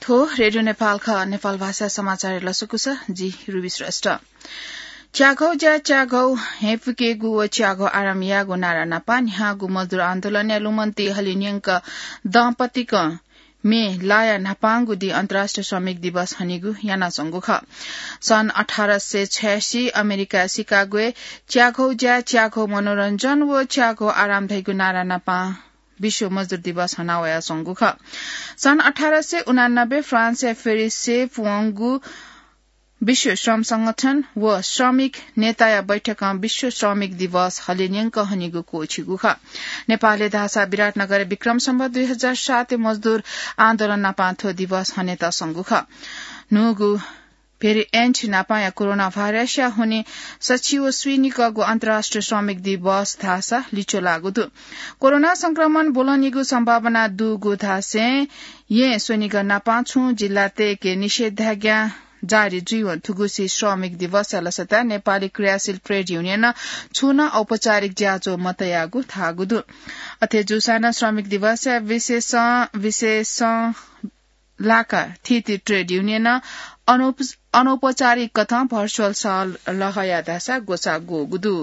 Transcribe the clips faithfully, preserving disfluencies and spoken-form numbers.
थ्व रेडियो नेपाल खः, नेपाल भाषा समाचार लसकुस, जि रुबी श्रेष्ठ। च्याघौ ज्या च्याघौ हेपुकेगु व च्याघौ आराम यागु नारा नापा न्ह्यागु मजदुर आन्दोलनया लुमन्ति हलिन्यंक दम्पतिक मे लाया न्हापांगु दि अन्तर्राष्ट्रिय श्रमिक दिवस हनिगु यानाच्वंगु खः। सन् अठार सय छयासी अमेरिका सिकागोय् च्याघौ ज्या च्याघौ मनोरञ्जन व च्याघौ आराम धइगु नारा नापा विश्व मजदुर दिवस हनावयाच्वंगु खः। सन् अठार सय उनानब्बे फ्रान्सया फेरिसय् पुवंगु विश्व श्रम संगठन व श्रमिक नेताया बैठकं विश्व श्रमिक दिवस हलिन्यंक हनिगु क्वःछिगु खः। नेपालय् धाःसा विराटनगर विक्रम सम्वत दुई हजार सात मजदुर आन्दोलन नापा थ्व दिवस हनेत संगु खः। न्हूगु भेरिएन्ट नापाया कोरोना भाइरसया हुने सछि व स्वीनिकःगु अन्तर्राष्ट्रिय श्रमिक दिवस धाःसा लिच्वलागु दु। कोरोना संक्रमण ब्वलंनिगु सम्भावना दुगु धासें यें स्वनिगः नापा छुं जिल्लातय्के निषेधाज्ञा जारी जुइवं थुगुसी श्रमिक दिवसया लसता नेपाली क्रियाशील ट्रेड युनियनं छुं नं औपचारिक ज्याझ्वः मतयागु धाःगु दु। अथे जूसां नं श्रमिक दिवसया विशेषं, विशेषं लाका थीथी ट्रेड युनियनं अनौप-, अनौपचारिक कथं भर्चुअल सहलह याःधाःसा ग्वसाः ग्वःगु दु।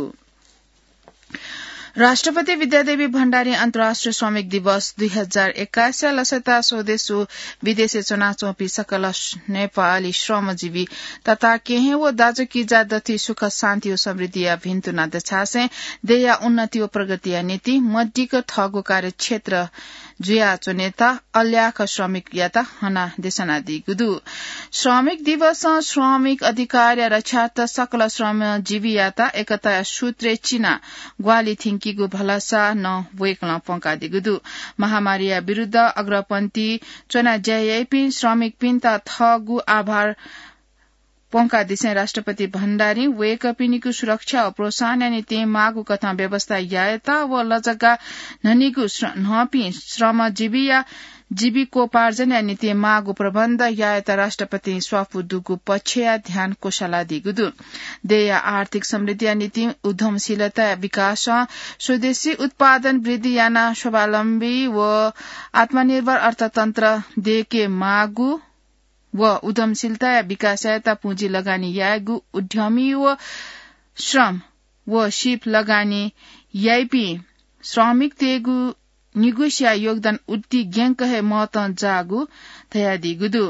राष्ट्रपति विद्यादेवी भण्डारी अन्तर्राष्ट्रिय श्रमिक दिवस दुई हजार एक्काइसया लसता स्वदेशु विदेशय् च्वनाच्वंपिं सकल नेपाली श्रमजीवी तता केहेँ व दाजुकिजा दथुइ सुख शान्ति व समृद्धिया भिन्तुना दछासें देय्या उन्नति व प्रगतिया निंतिं मदिक्क थःगु कार्यक्षेत्र जुयाच्वनेत अल्याख श्रमिकयात हना देछानादीगु दु। श्रमिक दिवसं श्रमिक अधिकारया रक्षार्थ सकल श्रमजीवीयात एकताया सूत्रय् चिना ग्वाहालि थ्यंकीगु भलसा नं वय्कलं प्वंकादीगु दु। महामारीया विरुद्ध अग्रपंक्ति च्वना ज्या याइपिं श्रमिकपिन्त थःगु आभार प्वंकादिसें राष्ट्रपति भण्डारीं वय्कःपिनिगु सुरक्षा व प्रोत्साहनया निंतिं माःगु कथं व्यवस्था यायेत व लजगाः न्हनीगु श्र-, न्हंपिं श्रमजीवीया जीविकोपार्जनया निंतिं माःगु प्रबन्ध यायेत राष्ट्रपतिं स्वापू दुगु पक्षया ध्यान क्वसालादीगु दु। देय्या आर्थिक समृद्धिया निंतिं उद्यमशीलताया विकासं स्वदेशी उत्पादन वृद्धि यानाः स्वावलम्बी व आत्मनिर्भर अर्थतन्त्र दय्के माःगु व उद्यमशीलताया विकासयात पुँजी लगानी यायेगु उद्यमी व श्रम व सीप लगानी याइपिं श्रमिकतय्गु निगुसिया योगदान उति ग्यंक हे महत्वं जाःगु धयादीगु दु।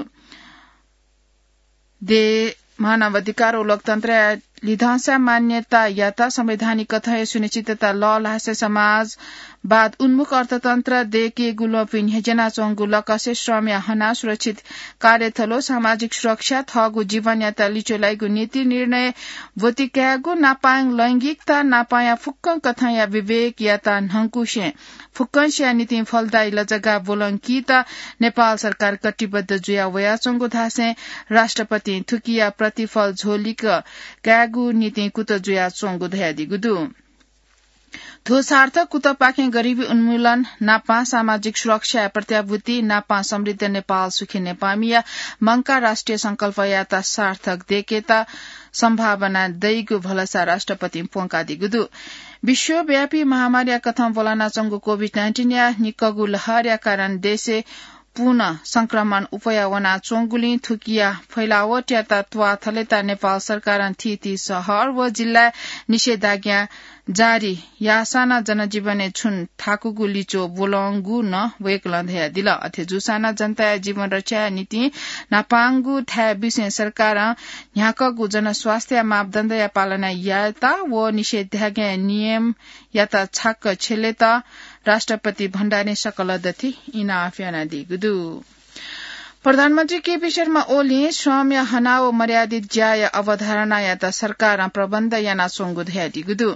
देय् मानव अधिकार व लोकतन्त्रया लिधंसा मान्यतायात संवैधानिक कथंया सुनिश्चितता लःल्हासे समाजवाद उन्मुख अर्थतन्त्र दय्केगु ल्वपि न्ह्यज्यानाच्वंगु लकसे श्रमया हना सुरक्षित कार्यथलो सामाजिक सुरक्षा थःगु जीवनयात लिच्वलाइगु नीति निर्णय ब्वति कायेगु नापां लैंगिकता नापांया फुक्क कथंया विवेकयात न्हंकुसें फुक्कंसिया निंतिं फलदायी लजगाः ब्वलंकीत नेपाल सरकार कटिबद्ध जुया वयाच्वंगु धासें राष्ट्रपतिं थुकिया प्रतिफल झोलिक कायेगु निंतिं कुतः जुयाच्वंगु धयादीगु दु। थ्व सार्थक कुतःपाखें गरिबी उन्मूलन नापां सामाजिक सुरक्षाया प्रत्याभूति नापां समृद्ध नेपाल सुखी नेपाःमिया मंकाः राष्ट्रिय संकल्पयात सार्थक दय्केत सम्भावना दइगु भलसा राष्ट्रपतिं प्वंकादीगु दु। विश्वव्यापी महामारीया कथं ब्वलनाच्वंगु कोभिड नाइन्टिनया निक्कःगु लहरया कारण देशय् पुनः संक्रमण उपया वनाच्वंगुलिं थुकिया फैलावटयात त्वाः थलेत नेपाल सरकारं थीथी शहर व जिल्लाय् निषेधाज्ञा जारी याःसां नं जनजीवनय् छुं थाकुगु लिच्वः ब्वलंगु नं वय्कलं धयादिल। अथे जूसां नं जनताया जीवन रक्षाया निंतिं न्हापांगु थाय् बिसें सरकारं न्ह्याकःगु जनस्वास्थ्य मापदण्डया पालना यायेत व निषेधाज्ञा नियमयात छाक्क छ्यलेत राष्ट्रपति भण्डारीं सकल दथुइ इनाप यानादीगु दु। प्रधानमन्त्री केपी शर्मा ओलीं श्रमया हना व मर्यादित ज्याया अवधारणायात सरकारं प्रबन्ध यानाच्वंगु धयादीगु दु।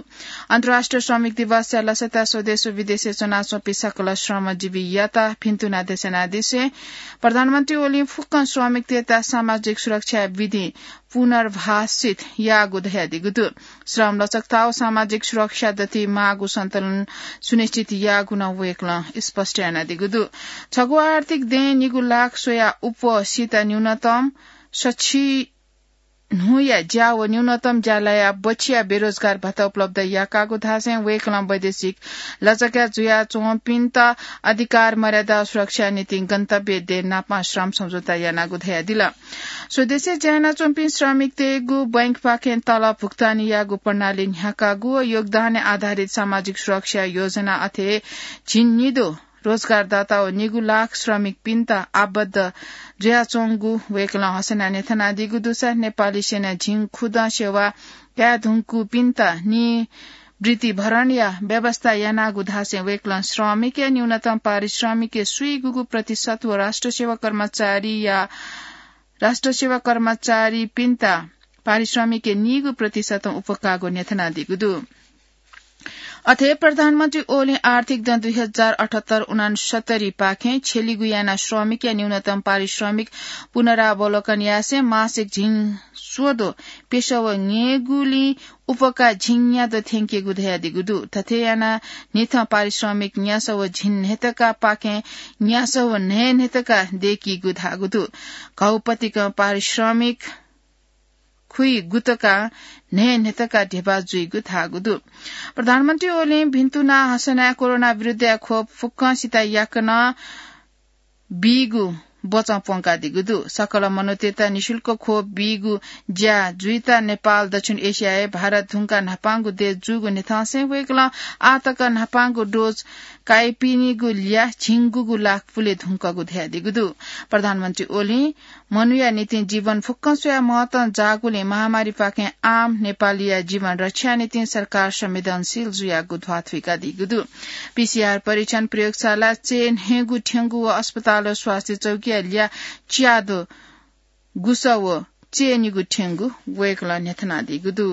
अन्तर्राष्ट्रिय श्रमिक दिवसया लसता स्वदेश व विदेशय् च्वनाच्वंपिं सकल श्रमजीवीयात भिन्तुना देछानादिसें प्रधानमन्त्री ओलीं फुक्क श्रमिकतय्त सामाजिक सुरक्षा विधि पुनर्भाषित याःगु धयादीगु दु। श्रम लचकता व सामाजिक सुरक्षा दथुइ माःगु सन्तुलन सुनिश्चित याःगु नं वय्कलं स्पष्ट यानादीगु दु। छगू आर्थिक दँय् निगू लाख स्वया उपसित न्यूनतम सछि न्हूया ज्या व न्यूनतम ज्यालाया बछिया बेरोजगार भत्ता उपलब्ध याकागु धासें वय्कलं वैदेशिक लचक्या जुयाच्वंपिन्त अधिकार मर्यादा सुरक्षा निंतिं गन्तव्य देश नापं श्रम सम्झौता यानागु धयादिल। स्वदेशय् ज्या यानाच्वंपिं श्रमिकतय्गु बैंकपाखें तलब भुक्तानी याःगु प्रणाली न्ह्याकागु व योगदान आधारित सामाजिक सुरक्षा योजना अथे झिंनिदँ रोजगारदाता व निगू लाख श्रमिकपिन्त आबद्ध जुयाच्वंगु वय्कलं हसना न्ह्यथनादीगु दुसा नेपाली सेनां झिंखुदँ सेवा काये धुंकूपिन्त निवृत्ति भरणया व्यवस्था यानागु धासें वय्कलं श्रमिकया न्यूनतम पारिश्रमिकया स्वीगूगू प्रतिशत व राष्ट्र सेवा कर्मचारीया, राष्ट्र सेवा कर्मचारीपिन्त पारिश्रमिकया नीगू प्रतिशतं उपकाःगु न्ह्यथनादीगु दु। अथे प्रधानमन्त्री ओलीं आर्थिक दँ दुई हजार अठहत्तर उनासत्तरी पाखें छेलिगु याना श्रमिकया न्यूनतम पारिश्रमिक पुनरावलोकन यासें मासिक झिंस्वदँ प्यसः व न्हय्गुलिं उपकाः झिंन्यादँ थ्यंकेगु धयादीगु दु। थथे याना न्हिथं पारिश्रमिक न्यासः व झिंन्हय्तका पाखें न्यासः व न्हय्न्हय्तका दय्कीगु धाःगु दु। घौपतिकं पारिश्रमिक खुइगुतका न्हय्न्हय्तका ध्यबा जुइगु धाःगु दु। प्रधानमन्त्री ओलीं भिन्तुना हसनाय् कोरोना विरुद्धया खोप फुक्कंसित याकनं बीगु बचं प्वंकादीगु दु। सकल मनूतय्त निशुल्क खोप बीगु ज्या जुइत नेपाल दक्षिण एसियाय् भारत धुंकाः न्हापांगु देश जूगु न्ह्यथंसें वय्कलं आःतक न्हापांगु डोज काइपिनिगु ल्याः झिंगूगु लाख पुले धुंकूगु धयादीगु दु। प्रधानमन्त्री ओलीं मनूया निंतिं जीवन फुक्कं स्वयाः महत्तं जाःगुलिं महामारीपाखें आम नेपालीया जीवन रक्षाया निंतिं सरकार संवेदनशील जुयागु ध्वाथुइकादीगु दु। पीसीआर परीक्षण प्रयोगशाला चय्न्हय्गू थ्यंगु व अस्पताल व स्वास्थ्य चौकीया ल्याः च्याद्वः गुसः व चय्निगू थ्यंगु वय्कलं न्ह्यथनादीगु दु।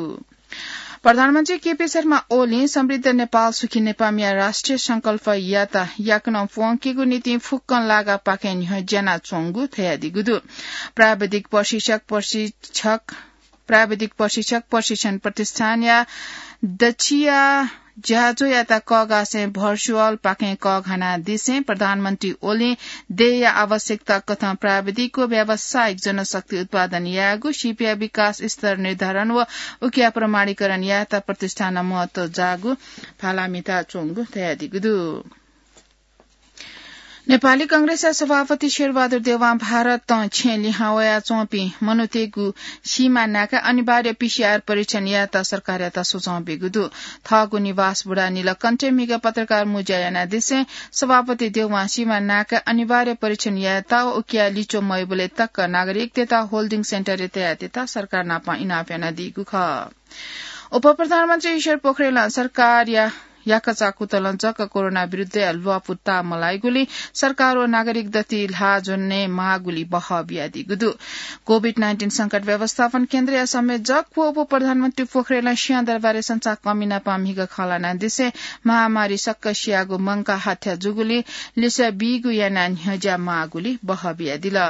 प्रधानमन्त्री केपी शर्मा ओलीं समृद्ध नेपाल सुखी नेपालया राष्ट्रिय संकल्पयात याकनं प्वंकेगु निंतिं फुक्कं लागापाखें न्ह्यज्यानाच्वंगु धयादीगु दु। प्राविधिक प्रशिक्षक प्रशिक्षक, प्राविधिक प्रशिक्षक प्रशिक्षण प्रतिष्ठानया दछिया ज्याझ्वःयात कःघासें भर्चुअल पाखें कःघानादिसें प्रधानमन्त्री ओलीं देय्या आवश्यकता कथं प्राविधिक व व्यावसायिक जनशक्ति उत्पादन यायेगु, सिपया विकास स्तर निर्धारण व उकिया प्रमाणीकरण यायेत प्रतिष्ठानं महत्व जाःगु भाला म्हिताच्वंगु धयादीगु दु। नेपाली कांग्रेसया सभापति शेरबहादुर देवां भारतं छेँ लिहां वयाच्वंपिं मनूतय्गु सीमा नाकाय् अनिवार्य पीसीआर परीक्षण यायेत सरकारयात सुझाव ब्यूगु दु। थःगु निवास बुढानीलकण्ठय् म्हिगः पत्रकार मुँज्या यानादिसें सभापति देवां सीमा नाकाय् अनिवार्य परीक्षण यायेत व उकिया लिच्वः मवइबलय् तक नागरिकतय्त होल्डिङ सेन्टरय् तयातयेत सरकार नाप इनाप यानादीगु खः। उपप्रधानमन्त्री ईश्वर पोखरेलं सरकारया याकःचाकुतलं जक कोरोना विरुद्धया ल्वापु ताःमलाइगुलिं सरकार व नागरिक दथुइ ल्हाः ज्वने माःगुलि बहः बियादीगु दु। कोभिड नाइन्टिन संकट व्यवस्थापन केन्द्रया संयोजक व उपप्रधानमन्त्री पोखरेलं सिंहदरबारय् संचारकर्मी नाप म्हिगः खँ ल्हानादिसें महामारी सक्क सियागु मंकाः हत्या जूगुलिं लिसः बीगु यानाः न्ह्यज्या माःगुलि बहः बियादिल।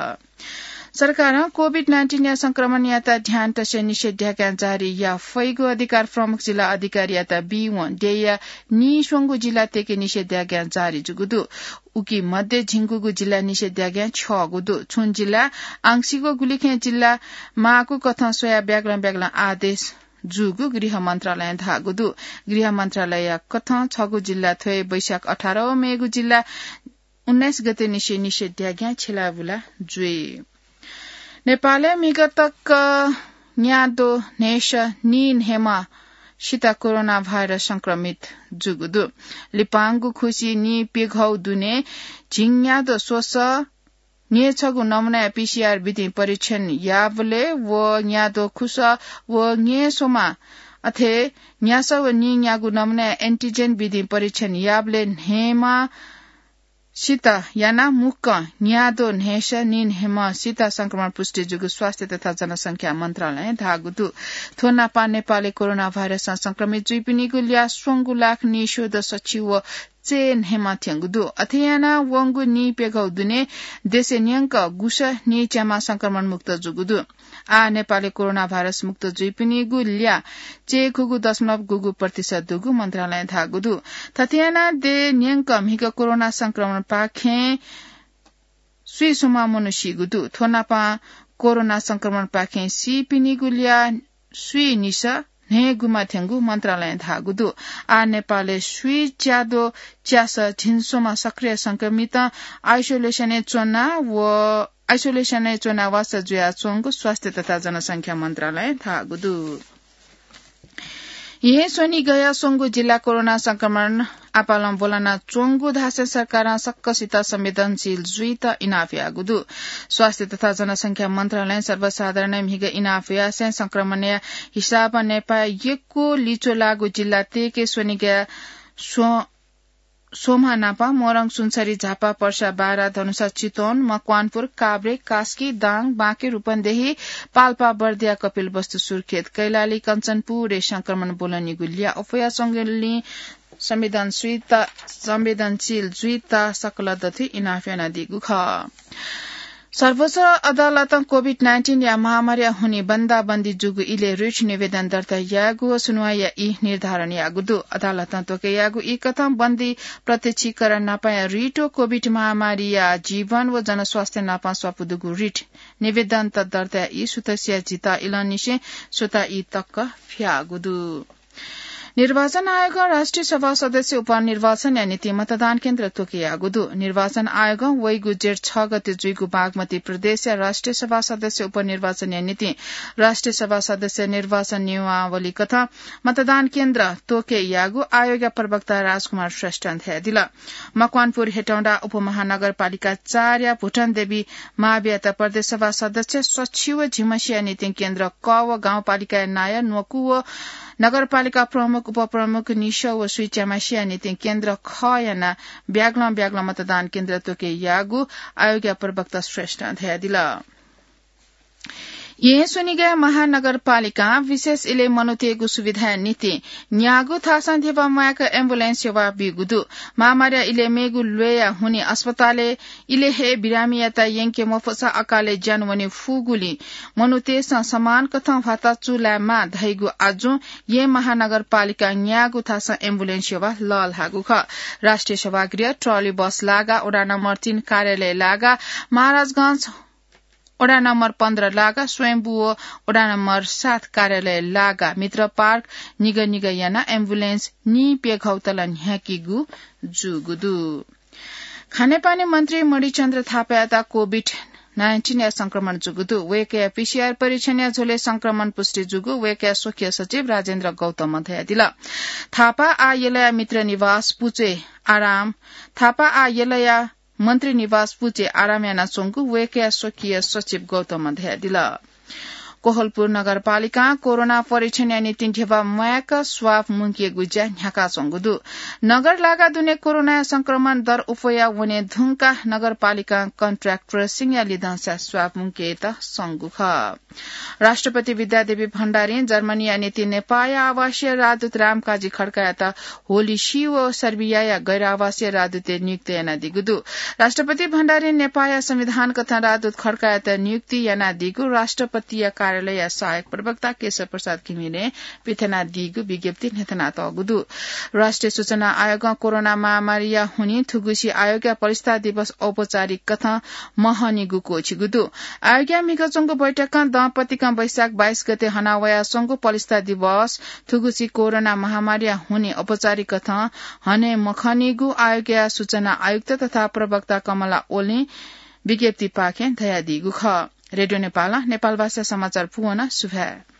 सरकारं कोभिड नाइन्टिनया संक्रमणयात ध्यान तसें निषेधाज्ञा जारी याये फइगु अधिकार प्रमुख जिल्ला अधिकारीयात बीवं देय्या नीस्वंगू जिल्लातय्के निषेधाज्ञा जारी जूगु दु। उकी मध्ये झिंगूगू जिल्ला निषेधाज्ञा छ्यःगु दु। छुं जिल्ला आंशिक व गुलिखय् जिल्ला माःगु कथं स्वयाः ब्यागलं ब्यागलं आदेश जूगु गृह मन्त्रालयं धाःगु दु। गृह मन्त्रालयया कथं छगू जिल्ला थ्वय् वैशाख अठार व मेगु जिल्ला उन्नाइस गते निसें निषेधाज्ञा छ्यलाबुला जुइ। नेपालय् म्हिगः तक न्याद्वः न्हय्सः नीन्हय्म्हसित कोरोना भाइरस संक्रमित जूगु दु। लिपांगु खुसि नीप्यघौ दुने झिंन्याद्वः स्वसः न्हय्छगू नमुनाया पीसीआर विधिं परीक्षण याःबलय् व न्याद्वः खुसः व न्हय्स्वम्ह अथे न्यासः व नीन्यागू नमुनाया एन्टिजेन विधिं परीक्षण याःबलय् न्हय्म्ह सित यानाः मुक्कं न्याद्वः न्हय्सः नीन्हय्म्हसित संक्रमण पुष्टि जूगु स्वास्थ्य तथा जनसंख्या मन्त्रालयं धाःगु दु। थ्व नापं नेपालय् कोरोना भाइरसं संक्रमित जुइपिनिगु ल्याः स्वंगू लाख नीस्वदँ सछि व चय्न्हय्म्ह थ्यंगु दु। अथे यानाः वंगु नीप्यघौ दुने देशय् न्यंक गुसः नीच्याम्ह संक्रमण मुक्त जूगु दु। आः नेपालय् कोरोना भाइरस मुक्त जुइपिनिगु ल्याः चय्खुगू दशमलव गुगू प्रतिशत दुगु मन्त्रालयं धाःगु दु। थथे यानाः देय् न्यंक म्हिगः कोरोना संक्रमणपाखें स्वीसम्म मनू सीगु दु। थ्व नापं कोरोना संक्रमणपाखें सीपिनिगु ल्याः स्वीनिसः न्हय्‌गुमा थ्यंगु मन्त्रालयं धाःगु दु। आः नेपालय् स्वीच्याद्वः च्यासः झिंस्वम्ह सक्रिय संक्रमित आइसोलेसनय् च्वना व आइसोलेसनय् च्वना वासः जुयाच्वंगु स्वास्थ्य तथा जनसंख्या मन्त्रालयं धाःगु दु। येँ स्वनिगःया स्वंगू जिल्ला कोरोना संक्रमण आपालं ब्वलना च्वंगु धासें सरकारं सकसित संवेदनशील जुइत इनाप याःगु दु। स्वास्थ्य तथा जनसंख्या मन्त्रालयं सर्वसाधारण म्हिगः इनाप यासें संक्रमणया हिसाबं नेपाः यक्व लिच्वलाःगु जिल्ला तय्‌के स्वनिगःया स्व-, स्वम्ह नापं मोरङ, सुनसरी, झापा, पर्सा, बारा, धनुषा, चितवन, मकवानपुर, काभ्रे, कास्की, दाङ, बाँके, रूपन्देही, पाल्पा, बर्दिया, कपिलवस्तु, सुर्खेत, कैलाली, कञ्चनपुरय् संक्रमण ब्वलनीगु ल्याः अप्वया संगुलिं संवेदनशीलता, संवेदनशील जुइत सकल दथुइ इनाप यानादीगु खः। सर्वोच्च अदालतं कोभिड नाइन्टिनया महामारीया हुनिं बन्दाबन्दी जूगु इलय् रिट निवेदन दर्ता यायेगु व सुनुवाइया ई निर्धारण याःगु दु। अदालतं त्वःके याःगु ई कथं बन्दी प्रत्यक्षीकरण नापंया रिट व कोभिड महामारीया जीवन व जनस्वास्थ्य नापं स्वापू दुगु रिट निवेदनत दर्ताया ई सुथसिया झिता इलंनिसें स्वता ई तक फ्याःगु दु। निर्वाचन आयोगं राष्ट्रिय सभा सदस्य उपनिर्वाचनया निंतिं मतदान केन्द्र त्वःके याःगु दु। निर्वाचन आयोगं वइगु जेठ छ गते जुइगु बागमती प्रदेशया राष्ट्रिय सभा सदस्य उपनिर्वाचनया निंतिं राष्ट्रिय सभा सदस्य निर्वाचन नियमावली कथं मतदान केन्द्र त्वःके याःगु आयोगया प्रवक्ता राजकुमार श्रेष्ठं धयादिल। मकवानपुर हेटौंडा उपमहानगरपालिका चारया भुटन देवी मावियात प्रदेश सभा सदस्य सछि व झिमसिया निंतिं केन्द्र क व गाउँपालिकाया नायः न्वकू व नगरपालिका प्रमुख, उपप्रमुख निसः व स्वीच्यामासिया निंतिं केन्द्र ख यानाः ब्यागलं ब्यागलं मतदान केन्द्र त्वःके याःगु आयोगया प्रवक्ता श्रेष्ठं धयादिल। येँ स्वनिगः महानगरपालिकां विशेष इलय् मनूतय्‌गु सुविधाया निंतिं न्यागू थासं धिबा म्वायेक एम्बुलेन्स सेवा बीगु दु। महामारीया इलय् मेगु ल्वय्‌या हुनिं अस्पतालय् इलय् हे बिरामीयात यंके मफुसा अकालय् ज्यान वने फुगुलिं मनूतय्‌सं समान कथं भ्वाता चूलायेमाः धइगु आजुं येँ महानगरपालिकां न्यागू थासं एम्बुलेन्स सेवा लःल्हाःगु खः। राष्ट्रिय सभागृह, ट्रली बस लागाः वडा नम्बर तीन कार्यालय लागाः महाराजगंज वडा नम्बर पन्ध्र लागाः स्वयम्भू व वडा नम्बर सात कार्यालय लागाः मित्र पार्क निगः निगः यानाः एम्बुलेन्स नीप्यघौ तला न्ह्याकीगु जूगु दु। खानेपानी मन्त्री मणिचन्द्र थापायात कोभिड नाइन्टिनया संक्रमण जूगु दु। वय्‌कःया पीसीआर परीक्षणया झ्वलय् संक्रमण पुष्टि जूगु वय्‌कःया स्वकीय सचिव राजेन्द्र गौतमं धयादिल। थापा आः यलया मित्र निवास पुचय् आराम, थापा आः यलया मन्त्री निवास पुचय् आराम यानाच्वंगु वय्‌कःया स्वकीय सचिव गौतमं धयादिल। कोहलपुर नगरपालिकां कोरोना परीक्षणया निंतिं धिबा म्वायेक स्वाब मुंकेगु ज्या न्ह्याकाच्वंगु दु। नगर लागा दुने कोरोनाया संक्रमण दर अप्वया वने धुंकाः नगरपालिकां कन्ट्र्याक्ट ट्रेसिङया लिधंसा स्वाब मुंकेत संगु खः। राष्ट्रपति विद्यादेवी भण्डारीं जर्मनीया निंतिं नेपाःया आवासीय राजदूत रामकाजी खड्कायात होलिसी व सर्बियाया गैर आवासीय राजदूतय् नियुक्त यानादीगु दु। राष्ट्रपति भण्डारीं नेपाःया संविधान कथं राजदूत खड्कायात नियुक्ति यानादीगु राष्ट्रपतिया कार्यालयया सहायक प्रवक्ता केशव प्रसाद घिमिरें पिथनादीगु विज्ञप्ति न्ह्यथनातःगु दु। राष्ट्रिय सूचना आयोगं कोरोना महामारीया हुनिं थुगुसी आयोगया पलिस्था दिवस औपचारिक कथं महनीगु क्वःछिगु दु। आयोगया म्हिगः च्वंगु बैठकं दँपतिकं वैशाख बाइस गते हनावयाच्वंगु पलिस्था दिवस थुगुसी कोरोना महामारीया हुनिं औपचारिक कथं हने मखनीगु आयोगया सूचना आयुक्त तथा प्रवक्ता कमला ओलीं विज्ञप्तिपाखें धयादीगु खः। रेडियो नेपालं नेपालभाषा समाचार पूवना सुभाय्।